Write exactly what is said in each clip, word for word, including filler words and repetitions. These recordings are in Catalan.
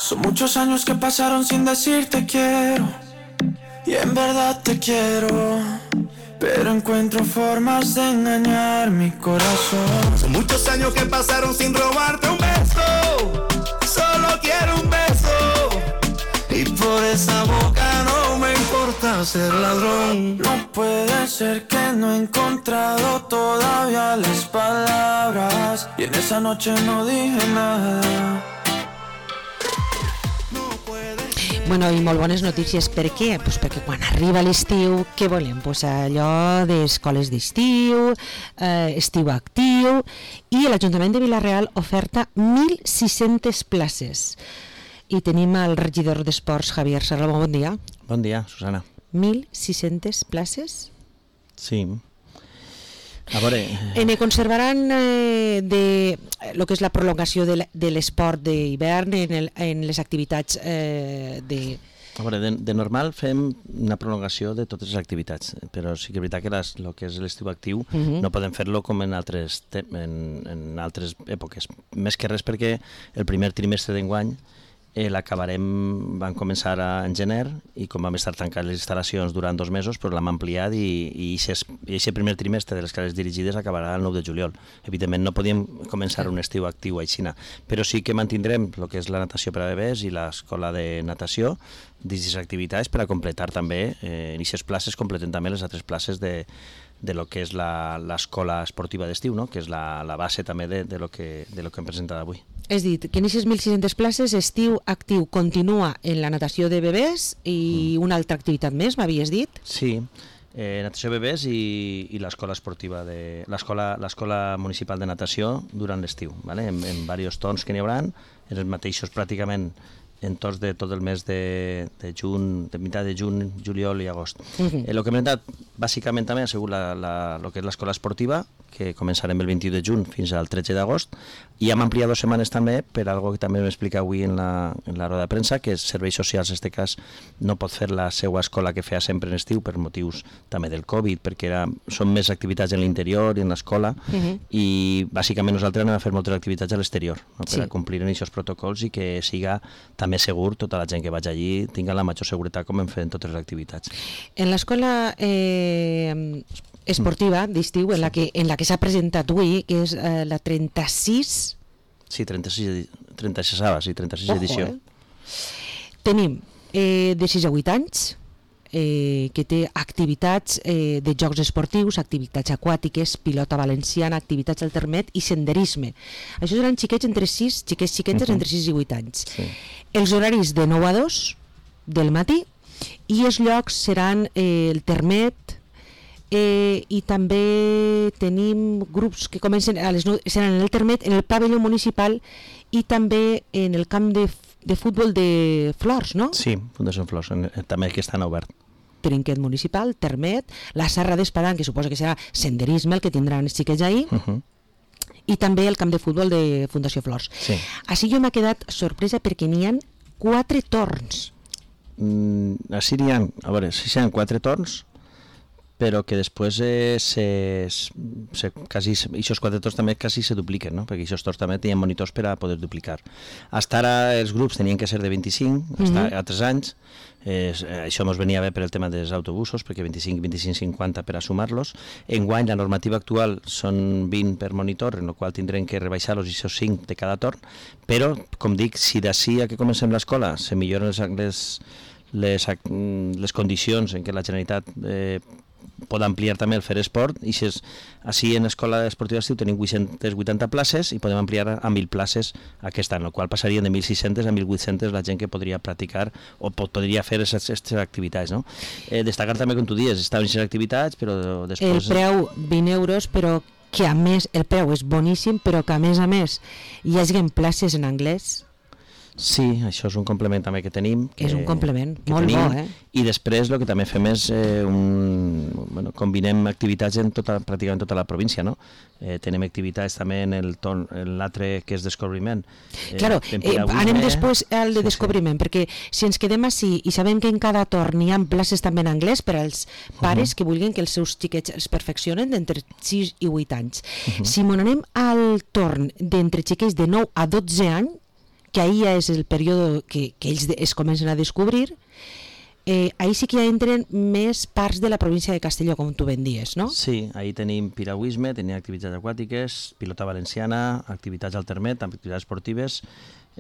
Son muchos años que pasaron sin decirte quiero, y en verdad te quiero, pero encuentro formas de engañar mi corazón. Son muchos años que pasaron sin robarte un beso, solo quiero un beso, y por esa boca no me importa ser ladrón. No puede ser que no he encontrado todavía las palabras, y en esa noche no dije nada. Bueno, i molt bones notícies. Per què? Pues perquè quan arriba l'estiu, què volem? Pues allò d'escoles d'estiu, eh, estiu actiu, i l'Ajuntament de Vila-real oferta mil sis-centes places. I tenim el regidor d'Esports, Javier Serrano. Bon dia. Bon dia, Susana. mil sis-centes places? Sí. A veure... Eh, ne conservaran eh, de lo que és la prolongació de l'esport d'hivern en, el, en les activitats eh, de... A veure, de, de normal fem una prolongació de totes les activitats, però sí que és veritat que les, el que és l'estiu actiu uh -huh. no podem fer-lo com en altres, en, en altres èpoques. Més que res perquè el primer trimestre d'enguany Eh, l'acabarem, van començar a, en gener, i com vam estar tancant les instal·lacions durant dos mesos, però l'hem ampliat i aquest primer trimestre de les classes dirigides acabarà el nou de juliol. Evidentment no podíem començar un estiu actiu a Xina, però sí que mantindrem el que és la natació per a bebès i l'escola de natació dins les activitats per a completar també, eh, en aquestes places completen també les altres places de de lo que és l'escola esportiva d'estiu, no? Que és la, la base també de, de, lo que, de lo que hem presentat avui. És dit, que en aquestes mil sis-centes places estiu actiu continua en la natació de bebès i mm. una altra activitat més, m'havies dit? Sí, eh, natació de bebès i, i l'escola esportiva, de l'escola municipal de natació durant l'estiu, ¿vale? en, en diversos torns que n'hi haurà, en els mateixos pràcticament en tots de tot el mes de, de juny, de mitjà de juny, juliol i agost. Uh-huh. eh, el que hem presentat bàsicament també ha sigut la, la, lo que és l'escola esportiva, que començarem el vint-i-u de juny fins al tretze d'agost, i hem ampliat dues setmanes també per algo que també m'explica avui en la, en la roda de premsa, que és serveis socials, en aquest cas no pot fer la seva escola que feia sempre en estiu per motius també del Covid, perquè era, són més activitats en l'interior i en l'escola, uh-huh. i bàsicament nosaltres anem a fer moltes activitats a l'exterior, no? Per sí. a complir en aquests protocols i que siga també més segur, tota la gent que vaig allí tingui la major seguretat com hem fet en totes les activitats. En l'escola eh, esportiva d'estiu, en la que, en la que s'ha presentat avui, que és eh, la trenta-sis... Sí, trenta-sis, trenta-sis, sí, trenta-sis Ojo, edició. Eh? Tenim eh, de sis a vuit anys, eh, que té activitats eh, de jocs esportius, activitats aquàtiques, pilota valenciana, activitats al termet i senderisme. Això seran xiquets entre sis, xiquets xiquetes uh-huh. entre sis i vuit anys. Sí. Els horaris de nou a dos del matí, i els llocs seran eh, el termet, eh, i també tenim grups que comencen a les nou, seran en el termet, en el pavelló municipal i també en el camp de de futbol de Flors, no? Sí, Fundació Flors, també que estan obert. Trinquet municipal, termet, la Serra d'Espadán, que suposa que serà senderisme, el que tindran els xiquets ahir, uh-huh. i també el camp de futbol de Fundació Flors. Sí. Així jo m'ha quedat sorpresa perquè n'hi ha quatre torns. Mm, així n'hi ha, a veure, sí n'hi ha quatre torns, però que després eh, se, se, quasi, aquests quatre torns també quasi se dupliquen, no? Perquè aquests torns també tenien monitors per a poder duplicar. Hasta ara els grups tenien que ser de vint-i-cinc, mm-hmm. hasta a tres anys, eh, això ens venia bé per el tema dels autobusos, perquè vint-i-cinc, vint-i-cinc, cinquanta per a sumar-los. Enguany la normativa actual són vint per monitor, en la qual tindrem que rebaixar-los i aquests cinc de cada torn, però, com dic, si d'ací a que comencem l'escola se milloren les, les, les, les condicions en què la Generalitat eh, pot ampliar també el fer esport, i si és, així en l'escola esportiva d'estiu tenim vuit-centes vuitanta places i podem ampliar a mil places aquest any, el qual passarien de mil sis-centes a mil vuit-centes la gent que podria practicar o pot, podria fer aquestes activitats, no? Eh, destacar també, com tu dius, estaven aquestes activitats, però després... El preu vint euros, però que a més, el preu és boníssim, però que a més a més hi hagin places en anglès. Sí, això és un complement també que tenim. Que, és un complement, molt tenim, bo, eh? I després el que també fem és eh, un, bueno, combinem activitats en tota, pràcticament tota la província, no? Eh, tenim activitats també en l'altre que és descobriment. Eh, claro, eh, anem després al de sí, descobriment, sí. Perquè si ens quedem així i sabem que en cada torn hi ha places també en anglès per als pares uh-huh. que vulguin que els seus xiquets es perfeccionen d'entre sis i vuit anys. Uh-huh. Si m'on anem al torn d'entre xiquets de nou a dotze anys, que ahir ja és el període que, que ells es comencen a descobrir. Eh, ahí sí que ja entren més parts de la província de Castelló, com tu ben dies, no? Sí, ahí tenim piragüisme, tenim activitats aquàtiques, pilota valenciana, activitats al termet, activitats esportives,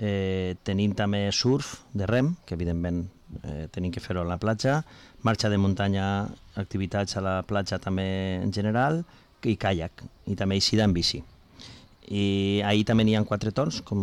eh, tenim també surf de rem, que evidentment eh, tenim que fer-ho a la platja, marxa de muntanya, activitats a la platja també en general, i caiac, i també eixida en bici. I ahir també n'hi ha quatre torns, com,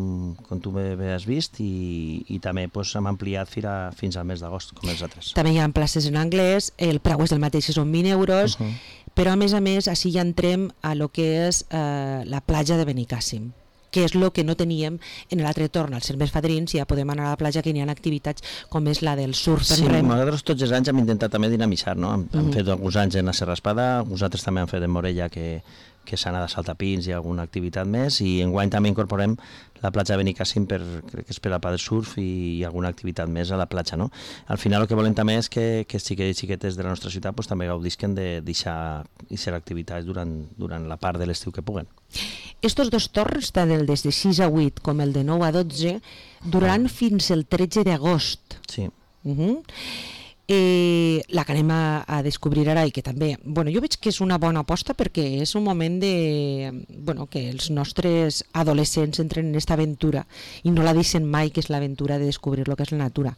com tu bé, bé has vist, i, i també pues, hem ampliat fins, a, fins al mes d'agost, com els altres. També hi ha places en anglès, el preu és del mateix, que són vint euros, uh -huh. però a més a més, així ja entrem a lo que és eh, la platja de Benicàssim, que és el que no teníem en l'altre torn. Al ser més fadrins ja podem anar a la platja, que n'hi ha activitats com és la del surf en sí, rem. Nosaltres tots els anys hem intentat també dinamitzar, no? Hem, uh -huh. hem fet alguns anys en la Serra Espada, alguns altres també han fet en Morella, que que s'ha anat a saltapins i alguna activitat més, i enguany també incorporem la platja de Benicàssim, per, crec que és per a pa de surf i, i alguna activitat més a la platja, no? Al final el que volem també és que, que els xiquets i xiquetes de la nostra ciutat pues, també gaudisquen de deixar activitats durant, durant la part de l'estiu que puguen. Estos dos torns, tant el des de sis a vuit com el de nou a dotze, duraran ah. fins el tretze d'agost. Sí. Uh -huh. Eh, la que anem a, a descobrir ara i que també, bueno, jo veig que és una bona aposta perquè és un moment de, bueno, que els nostres adolescents entren en aquesta aventura i no la deixen mai, que és l'aventura de descobrir el que és la natura.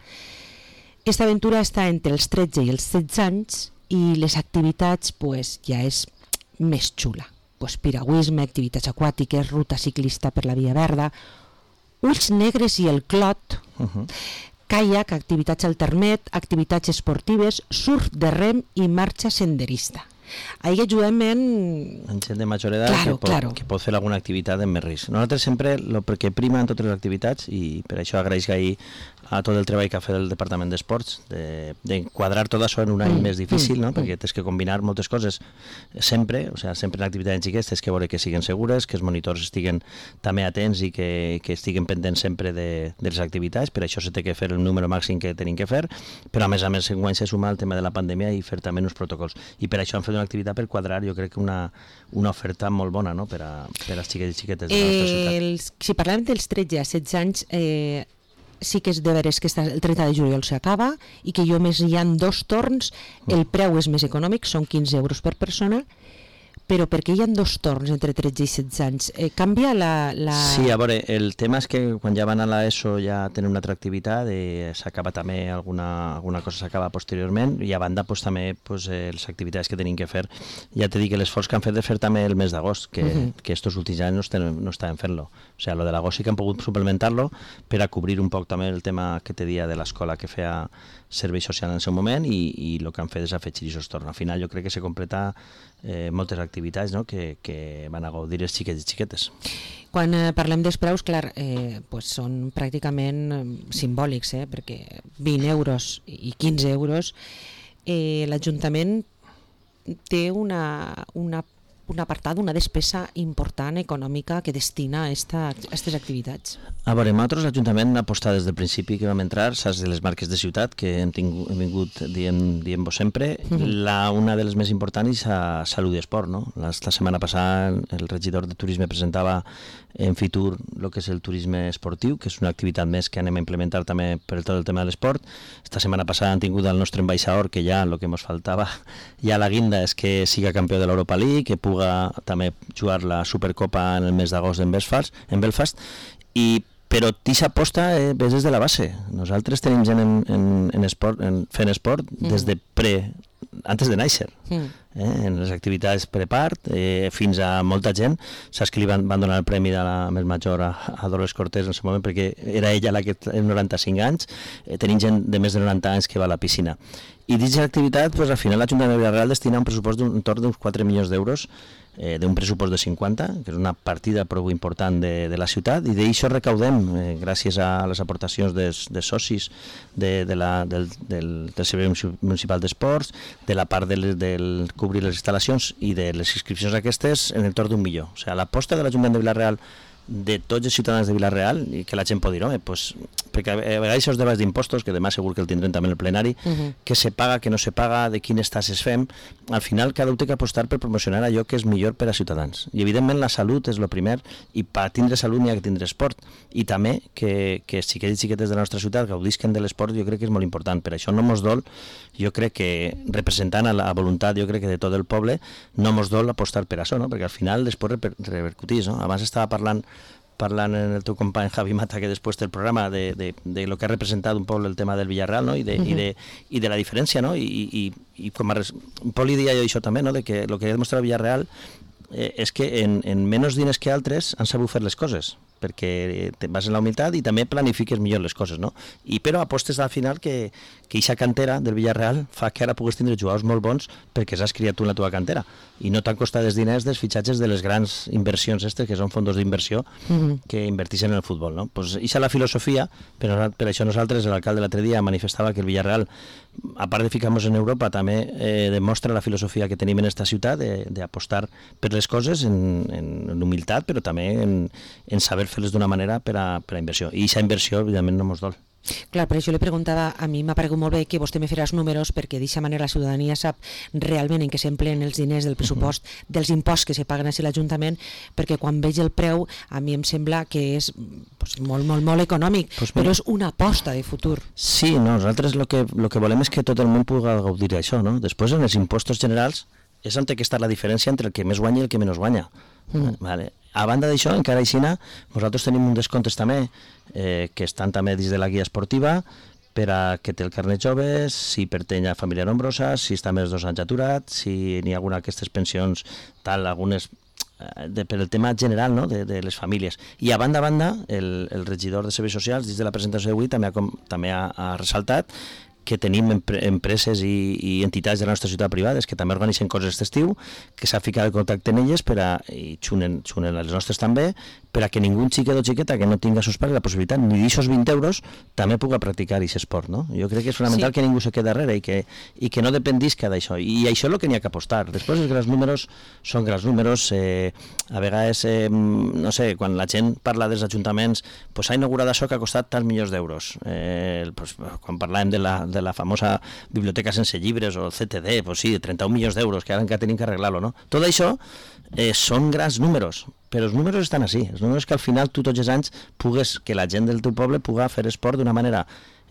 Aquesta aventura està entre els tretze i els setze anys i les activitats pues, ja és més xula. Pues, piragüisme, activitats aquàtiques, ruta ciclista per la Via Verda, ulls negres i el clot, uh-huh. caiac, activitats al termet, activitats esportives, surf de rem i marxa senderista. Ahí ajudem en... En gent de major edat claro, que, pot, claro. que pot fer alguna activitat en més risc. Nosaltres sempre, el que prima en totes les activitats, i per això agraeix ahir a tot el treball que ha fet el Departament d'Esports, d'enquadrar de, tot això en un any mm, més difícil, mm, no? perquè tens que combinar moltes coses sempre, o sigui, sempre en activitats xiquets tens que veure que siguin segures, que els monitors estiguen també atents i que, que estiguen pendents sempre de, de les activitats, per això se té que fer el número màxim que tenim que fer, però a més a més enguany se suma el tema de la pandèmia i fer també uns protocols. I per això han fet una activitat per quadrar, jo crec que una, una oferta molt bona, no? per, a, per als xiquets i xiquetes de la nostra ciutat. Eh, els, si parlem dels tretze a setze anys, eh, sí que és de veres que el trenta de juliol s'acaba i que jo més hi ha dos torns, el preu és més econòmic, són quinze euros per persona, però perquè hi ha dos torns entre tretze i setze anys, eh, canvia la, la... Sí, a veure, el tema és que quan ja van a l'ESO ja tenen una altra activitat, eh, s'acaba també alguna, alguna cosa s'acaba posteriorment, i a banda pues, també pues, eh, les activitats que tenim que fer. Ja t'he dit que l'esforç que han fet de fer també el mes d'agost, que, uh -huh. que estos últims anys no, estem, no estaven fent-lo. O sigui, lo de l'agost sí que han pogut suplementar-lo per a cobrir un poc també el tema que te dia de l'escola que feia servei social en el seu moment, i, i el que han fet és afegir aquests torns. Al final jo crec que se completa eh, moltes activitats, no? que, que van a gaudir els xiquets i xiquetes. Quan eh, parlem dels preus, clar, eh, pues són pràcticament eh, simbòlics, eh, perquè vint euros i quinze euros, eh, l'Ajuntament té una, una un apartat, una despesa important econòmica que destina a aquestes activitats. A veure, nosaltres l'Ajuntament ha apostat des del principi que vam entrar, saps, de les marques de ciutat que hem, tingut, hem vingut dient, dient-vos sempre. Uh -huh. la, una de les més importants és a Salut i Esport, no? La, la setmana passada el regidor de Turisme presentava en Fitur el que és el turisme esportiu, que és una activitat més que anem a implementar també per tot el tema de l'esport. Esta setmana passada han tingut el nostre ambaixador, que ja el que ens faltava, ja la guinda és que siga campió de l'Europa League, que pugui també jugar la Supercopa en el mes d'agost en Belfast, en Belfast i però Tix aposta eh, des de la base. Nosaltres tenim gent en, en, en esport, en, fent esport des de pre, antes de néixer, eh, en les activitats prepart, eh, fins a molta gent. Saps que li van, van donar el premi de la més major a, a Dolores Cortés en el seu moment, perquè era ella la que té noranta-cinc anys, eh, tenim gent de més de noranta anys que va a la piscina. I dins l'activitat, pues, al final l'Ajuntament de Vila-real destina un pressupost d'entorn d'uns quatre milions d'euros, eh, d'un pressupost de cinquanta, que és una partida prou important de, de la ciutat, i d'això recaudem, eh, gràcies a les aportacions des, de socis de, de la, del, del, del Servei Municipal d'Esports, de la part del, del cobrir les instal·lacions i de les inscripcions aquestes, en entorn d'un milió. O sigui, l'aposta de l'Ajuntament de Vila-real de tots els ciutadans de Vila-real, i que la gent pot dir, home, pues, perquè a vegades això es debats d'impostos, que demà segur que el tindrem també en el plenari, uh -huh. que se paga, que no se paga, de quines tasses fem, al final cada un té que apostar per promocionar allò que és millor per a ciutadans. I evidentment la salut és el primer, i per tindre salut n'hi ha que tindre esport, i també que, que xiquets i xiquetes de la nostra ciutat gaudisquen de l'esport, jo crec que és molt important. Per això no mos dol, jo crec que representant a la voluntat, jo crec que de tot el poble, no mos dol apostar per això, no? Perquè al final després reper repercutís, no? Abans estava parlant parlant en el teu company Javi Mata, que després del programa, de, de, de lo que ha representat un poble el tema del Villarreal, no? I, de, uh -huh. i, de, i de la diferència, no? I, i, i com a res... Poli dia jo això també, no? De que el que ha demostrat el Villarreal eh, és que en, en menys diners que altres han sabut fer les coses, perquè te vas en la humilitat i també planifiques millor les coses, no? I però apostes al final que que aquesta cantera del Villarreal fa que ara puguis tindre jugadors molt bons perquè s'has criat tu en la teva cantera i no t'han costat els diners dels fitxatges de les grans inversions estes, que són fondos d'inversió uh -huh. que invertixen en el futbol, no? Pues aquesta és la filosofia, però per això nosaltres, l'alcalde l'altre dia manifestava que el Villarreal, a part de ficar-nos en Europa, també eh, demostra la filosofia que tenim en esta ciutat d'apostar per les coses en, en, en humilitat, però també en, en saber fer-les d'una manera per a, per a inversió. I aquesta inversió, evidentment, no mos dol. Clar, per això li preguntava, a mi m'ha paregut molt bé que vostè me faràs números, perquè d'aquesta manera la ciutadania sap realment en què s'empleen els diners del pressupost, uh-huh. dels imposts que se paguen a l'Ajuntament, perquè quan veig el preu a mi em sembla que és pues, molt, molt, molt econòmic, pues però és una aposta de futur. Sí, no, nosaltres el que, lo que volem és que tot el món pugui gaudir d'això, no? Després, en els impostos generals, és on té que estar la diferència entre el que més guanya i el que menys guanya. Mm. Vale. A banda d'això, encara aixina, nosaltres tenim un descomptes també eh, que estan també dins de la guia esportiva per a que té el carnet jove, si pertany a família nombrosa, si està més de dos anys aturat, si n'hi ha alguna d'aquestes pensions, tal, algunes eh, de, per el tema general, no?, de, de les famílies. I a banda a banda, el, el regidor de Serveis Socials, dins de la presentació d'avui, també, ha, com, també ha, ha ressaltat que tenim empre empreses i, i entitats de la nostra ciutat privades que també organitzen coses d'estiu, que s'ha ficat en contacte amb elles per a, i xunen, xunen les nostres també, per a que ningú xiquet o xiqueta que no tinga a sus pares la possibilitat ni d'aixòs vint euros també pugui practicar aquest esport, no? Jo crec que és fonamental sí. que ningú se quedi darrere i que, i que no dependisca d'això, i això és el que n'hi ha que apostar. Després els grans números són grans números, eh, a vegades, eh, no sé, quan la gent parla dels ajuntaments, pues s'ha inaugurat això que ha costat tants milions d'euros. Eh, pues, quan parlàvem de la, de la famosa biblioteca sense llibres o el C T D, pues sí, de trenta-un milions d'euros, que ara encara tenim que arreglar-lo, no? Tot això eh, són grans números, però els números estan així, els números que al final tu tots els anys pugues, que la gent del teu poble pugui fer esport d'una manera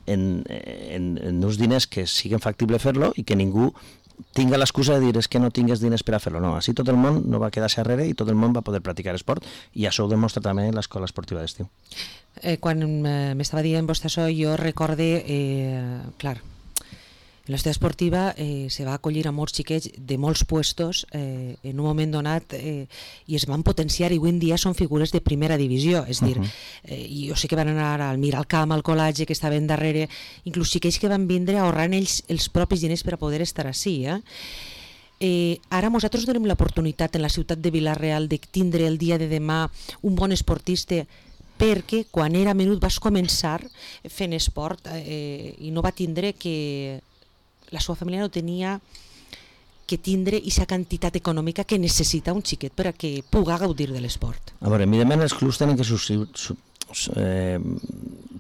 en, en, en uns diners que siguin factible fer-lo i que ningú tinga l'excusa de dir és que no tingues diners per a fer-lo. No, així tot el món no va quedar-se darrere i tot el món va poder practicar esport, i això ho demostra també l'escola esportiva d'estiu. Eh, quan eh, m'estava dient vostè això, jo recorde, eh, clar, la ciutat esportiva eh, se va acollir a molts xiquets de molts puestos eh, en un moment donat eh, i es van potenciar, i avui en dia són figures de primera divisió, és a dir, uh -huh. eh, jo sé que van anar al Miralcamp, al Colatge, que estaven darrere, inclús xiquets que van vindre ahorrant ells els propis diners per a poder estar així, eh? Eh, ara nosaltres donem l'oportunitat en la ciutat de Vila-real de tindre el dia de demà un bon esportista, perquè quan era menut vas començar fent esport eh, i no va tindre que... la seva família no tenia que tindre aquesta quantitat econòmica que necessita un xiquet per a que pugui gaudir de l'esport. A veure, evidentment els clubs tenen que eh,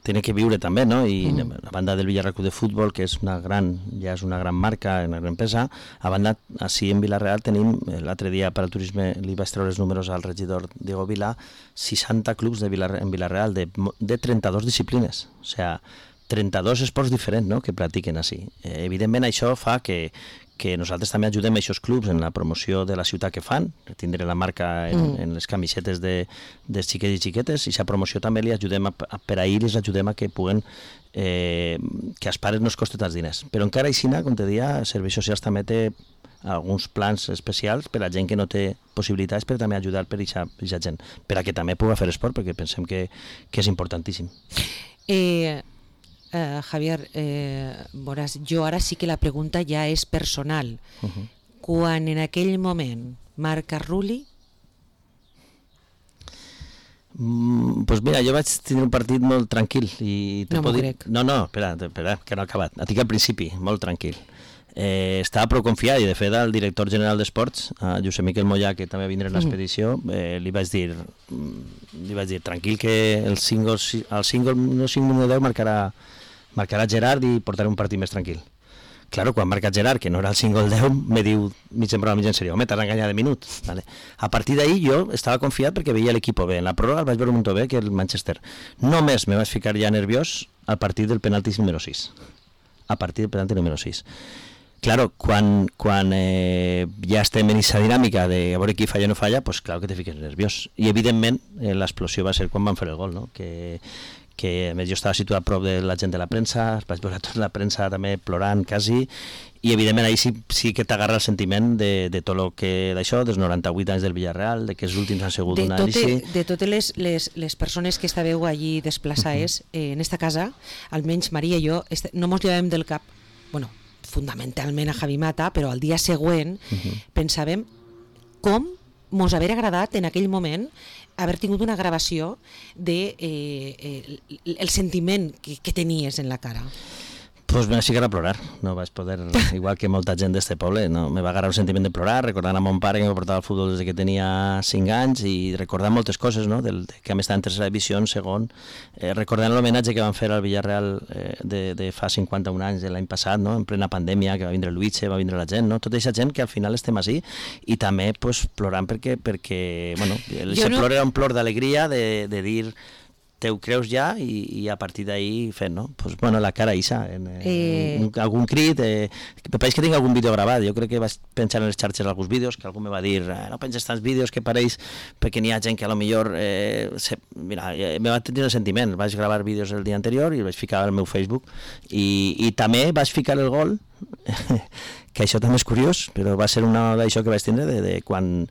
tenen que viure també, no? I mm. a banda del Villarreal Club de Futbol, que és una gran, ja és una gran marca, una gran empresa, a banda, així en Vila-real tenim, l'altre dia per al turisme li vaig treure els números al regidor Diego Vila, seixanta clubs de Vila, en Vila-real de, de trenta-dues disciplines, o sigui, trenta-dos esports diferents, no?, que practiquen així. Eh, evidentment això fa que, que nosaltres també ajudem a aquests clubs en la promoció de la ciutat que fan, tindre la marca en, mm. en les camisetes de, de xiquets i xiquetes, i aquesta promoció també li ajudem a, a, per a ells ajudem a que puguen eh, que als pares no es costi tants diners. Però encara així, com te deia, Serveis Socials també té alguns plans especials per a gent que no té possibilitats, per també ajudar per a aquesta gent, per a que també pugui fer esport, perquè pensem que, que és importantíssim. Eh... Uh, Javier, eh, veuràs, jo ara sí que la pregunta ja és personal. Uh-huh. Quan en aquell moment marca Rulli? Mm, pues mira, jo vaig tenir un partit molt tranquil. I no m'ho dir... crec. No, no, espera, espera, que no ha acabat. Et dic al principi, molt tranquil. eh, estava prou confiat, i de fet el director general d'Esports, eh, Josep Miquel Mollà, que també vindrà en l'expedició, eh, li vaig dir li vaig dir, tranquil, que el single, el single no cinc minuts deu marcarà, marcarà Gerard i portarà un partit més tranquil. Claro, quan marca Gerard, que no era el single deu, me diu mig en broma, mig en sèrio, home, t'has enganyat de minut. Vale. A partir d'ahir jo estava confiat perquè veia l'equip bé. En la pròrroga el vaig veure un munt bé, que el Manchester. Només me vaig ficar ja nerviós al partit del penalti número sis. A partir del penalti número sis. Claro, quan, quan eh, ja estem en aquesta dinàmica de a veure qui falla o no falla, pues claro que te fiques nerviós. I evidentment eh, l'explosió va ser quan van fer el gol, no? Que, que a més jo estava situat a prop de la gent de la premsa, vaig veure tota la premsa també plorant quasi, i evidentment ahí sí, sí que t'agarra el sentiment de, de tot el que d'això, dels noranta-vuit anys del Villarreal, de que els últims han sigut una anàlisi. De totes les, les, les persones que estàveu allí desplaçades, uh -huh. eh, en esta casa, almenys Maria i jo, este, no mos llevàvem del cap, bueno, fundamentalment a Javi Mata, però al dia següent uh -huh. pensàvem com mos haver agradat en aquell moment haver tingut una gravació de eh, eh, el sentiment que, que tenies en la cara. Pues me vaig ficar a plorar, no vaig poder, igual que molta gent d'este poble, no, me va agarrar un sentiment de plorar, recordant a mon pare que me portava al futbol des que tenia cinc anys i recordant moltes coses, no? Del, que hem estat en tercera divisió, en segon, eh, recordant l'homenatge que van fer al Villarreal eh, de, de fa cinquanta-un anys, de l'any passat, no? En plena pandèmia, que va vindre Luitxe, va vindre la gent, no? Tota aquesta gent que al final estem així, i també pues, plorant perquè, perquè bueno, el no... plor era un plor d'alegria de, de dir te ho creus ja i, i a partir d'ahir fent, no? Pues, bueno, la cara isa, en, eh... en, en algun crit, eh, pareix que tinc algun vídeo gravat, jo crec que vaig pensar en les xarxes alguns vídeos, que algú me va dir, eh, no penses tants vídeos que pareix, perquè n'hi ha gent que a lo millor, eh, se, mira, eh, me va tenir el sentiment, vaig gravar vídeos el dia anterior i el vaig ficar al meu Facebook, i, i també vaig ficar el gol, que això també és curiós, però va ser una d'això que vaig tindre, de, de quan...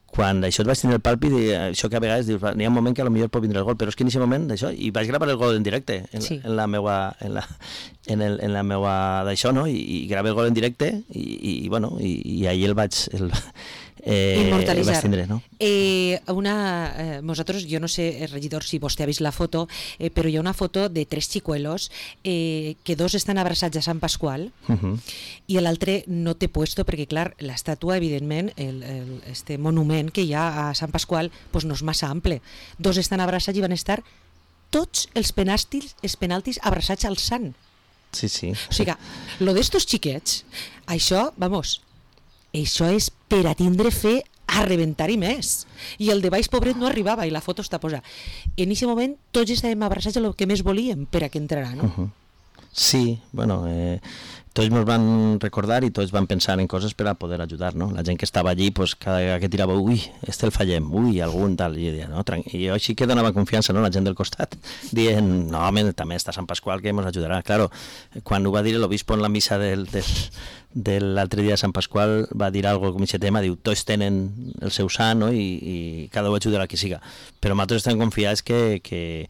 quan això et vaig tenir el pàlpit, això que a vegades dius, n'hi ha un moment que potser pot vindre el gol, però és que en aquest moment d'això, i vaig gravar el gol en directe en, sí. en la meua en la, en el, en la meua d'això, no? I, i gravé el gol en directe i, i bueno, i, i ahir el vaig el, eh, immortalitzar. El vaig tindre, no? Eh, una, eh, nosaltres, jo no sé, regidor, si vostè ha vist la foto, eh, però hi ha una foto de tres xicuelos, eh, que dos estan abraçats a Sant Pasqual, uh -huh. i l'altre no té puesto, perquè clar, l'estàtua, evidentment, el, el, este monument que hi ha a Sant Pasqual, pues no és massa ample. Dos estan abraçats i van estar tots els penaltis, els penaltis abraçats al sant. Sí, sí. O sigui, lo d'estos xiquets, això, vamos, això és per a tindre fe a rebentar-hi més. I el de baix, pobret, no arribava i la foto està posada. En aquest moment tots estàvem abraçats a el que més volíem per a que entrarà, no? Uh -huh. Sí, bueno, eh, tots ens van recordar i tots van pensar en coses per a poder ajudar, no? La gent que estava allí, pues, cada vegada que tirava, ui, este el fallem, ui, algun tal, i jo deia, no, i jo així que donava confiança, no?, la gent del costat, dient, no, home, també està Sant Pasqual que ens ajudarà. Claro, quan ho va dir l'obispo en la missa del, del, de l'altre dia de Sant Pasqual, va dir algo com aquest tema, diu, tots tenen el seu sant, no?, i, i cada un ajudarà qui siga. Però nosaltres estem confiats que, que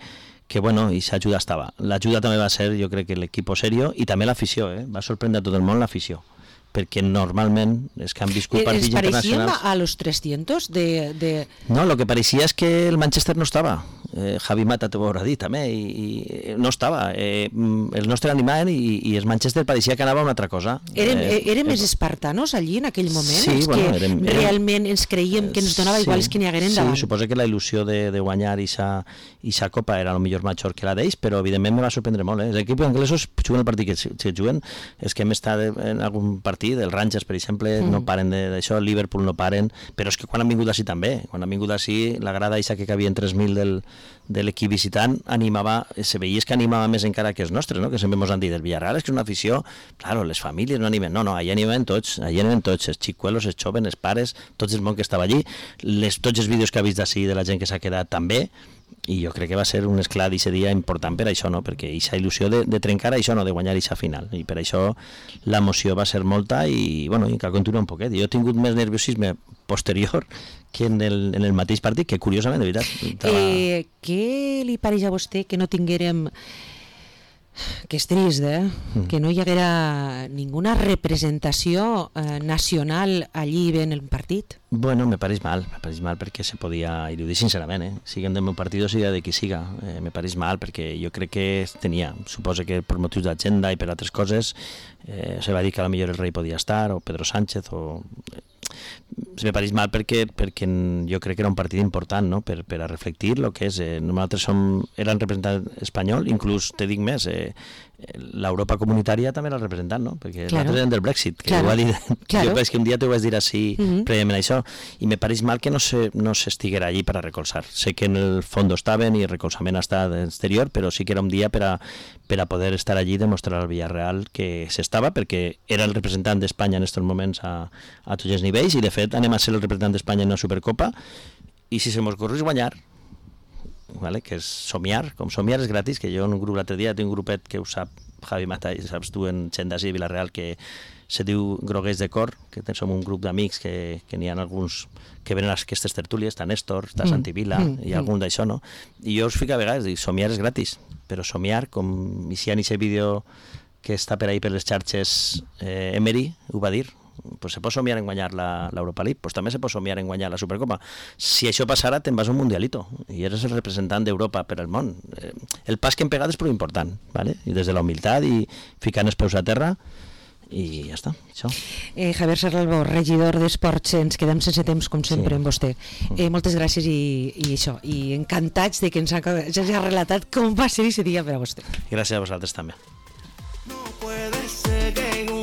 que bueno, i l'ajuda estava. L'ajuda també va ser, jo crec que l'equip serio, i també l'afició, eh? Va sorprendre a tot el món l'afició, perquè normalment els que han viscut partits internacionals... ¿Les parecían a los trescientos de, de...? No, lo que parecía es que el Manchester no estava. Eh, Javi Mata t'ho haurà dit també, i, i no estava. Eh, el nostre animaven i, i el Manchester pareixia que anava a una altra cosa. Érem, eh, érem més espartanos allí en aquell moment? Sí, els bueno, que érem, érem, realment ens creiem que ens donava sí, igual els que n'hi hagueren davant. Sí, suposo que la il·lusió de, de guanyar aquesta copa era el millor major que la d'ells, però evidentment me va sorprendre molt. Eh? Els equips anglesos juguen el partit que si, si juguen, és que hem estat en algun partit, el Rangers, per exemple, mm. no paren d'això, el Liverpool no paren, però és que quan han vingut així també, quan han vingut així, la grada eixa que cabien tres mil del, de l'equip visitant animava, se veia que animava més encara que els nostres, no? Que sempre ens han dit, el Villarreal és que és una afició, claro, les famílies no animen, no, no, allà animen tots, allà animen tots, els xicuelos, els joves, els pares, tots el món que estava allí, les, tots els vídeos que ha vist d'ací de la gent que s'ha quedat també, i jo crec que va ser un esclat d'aquest dia important per això, no? Perquè aquesta il·lusió de, de trencar això, no? De guanyar aquesta final, i per això l'emoció va ser molta i, bueno, i que continua un poquet. Jo he tingut més nerviosisme posterior que en el, en el mateix partit, que curiosament, de veritat... Estava... Eh, què li pareix a vostè que no tinguérem que és trist, eh? Mm. Que no hi haguera ninguna representació eh, nacional allí ben el partit. Bueno, me pareix mal, me pareix mal perquè se podia, i ho dic sincerament, eh? Siguem del meu partit o siga de qui siga, eh, me pareix mal perquè jo crec que tenia, suposo que per motius d'agenda i per altres coses, eh, se va dir que a la millor el rei podia estar, o Pedro Sánchez, o... me pareix mal perquè, perquè jo crec que era un partit important, no? per, per a reflectir el que és. Eh, nosaltres som, eren representant espanyol, inclús, te dic més, eh, l'Europa comunitària també era representant, no? Perquè claro. Nosaltres eren del Brexit, que claro. Igual, claro. Jo penso que un dia t'ho vas dir així uh -huh. prèviament això, i me pareix mal que no se, no s'estiguera allí per a recolzar. Sé que en el fons estaven i el recolzament està d'exterior, però sí que era un dia per a, per a poder estar allí i demostrar al Villarreal que s'estava, perquè era el representant d'Espanya en aquests moments a, a tots els nivells, i de fet anem a ser el representant d'Espanya en una Supercopa, i si se mos correix guanyar, vale? Que és somiar, com somiar és gratis, que jo en un grup l'altre dia tinc un grupet que ho sap Javi Mata i saps tu en Xendasi i Vilareal, que se diu Groguers de Cor, que som un grup d'amics que, que n'hi ha alguns que venen a aquestes tertúlies, està Néstor, està mm. Santi Vila mm. i algun d'això, no? I jo us fico a vegades, dic, somiar és gratis, però somiar, com si hi ha aquest vídeo que està per ahí per les xarxes, eh, Emery ho va dir, pues se pot somiar en guanyar l'Europa League, pues també se pot somiar en guanyar la Supercopa. Si això passara, te'n vas a un mundialito i eres el representant d'Europa per al món. El pas que hem pegat és prou important, ¿vale? I des de la humilitat i ficant els peus a terra, i ja està, això. Eh, Javier Serralbo, regidor d'Esports, ens quedem sense temps, com sempre, sí. amb vostè. Eh, moltes gràcies i, i això, i encantats de que ens hagi relatat com va ser aquest dia per a vostè. Gràcies a vosaltres també. No puede ser que